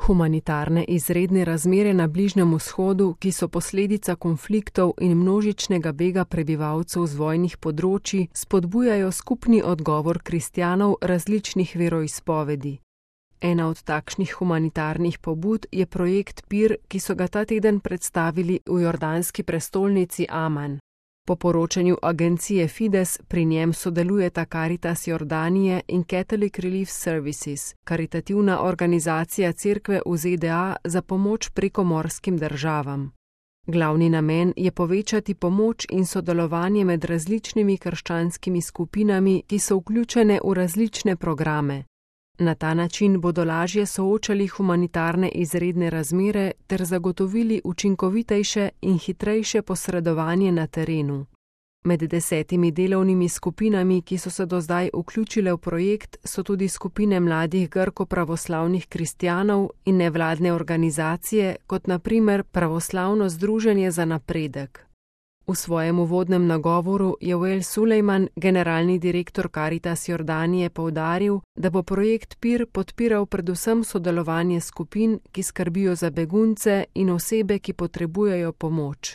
Humanitarne izredne razmere na Bližnjem vzhodu, ki so posledica konfliktov in množičnega bega prebivalcev z vojnih področij, spodbujajo skupni odgovor kristjanov različnih veroizpovedi. Ena od takšnih humanitarnih pobud je projekt PIR, ki so ga ta teden predstavili v jordanski prestolnici Aman. Po poročanju agencije Fides pri njem sodelujeta Caritas Jordanije in Catholic Relief Services, karitativna organizacija cerkve v ZDA za pomoč prekomorskim državam. Glavni namen je povečati pomoč in sodelovanje med različnimi krščanskimi skupinami, ki so vključene v različne programe. Na ta način bodo lažje soočali humanitarne izredne razmere ter zagotovili učinkovitejše in hitrejše posredovanje na terenu. Med 10 delovnimi skupinami, ki so se do zdaj vključile v projekt, so tudi skupine mladih grko-pravoslavnih kristjanov in nevladne organizacije, kot na primer Pravoslavno združenje za napredek. V svojem uvodnem nagovoru je Wael Sulejman, generalni direktor Caritas Jordanije, poudaril, da bo projekt PIR podpiral predvsem sodelovanje skupin, ki skrbijo za begunce in osebe, ki potrebujejo pomoč.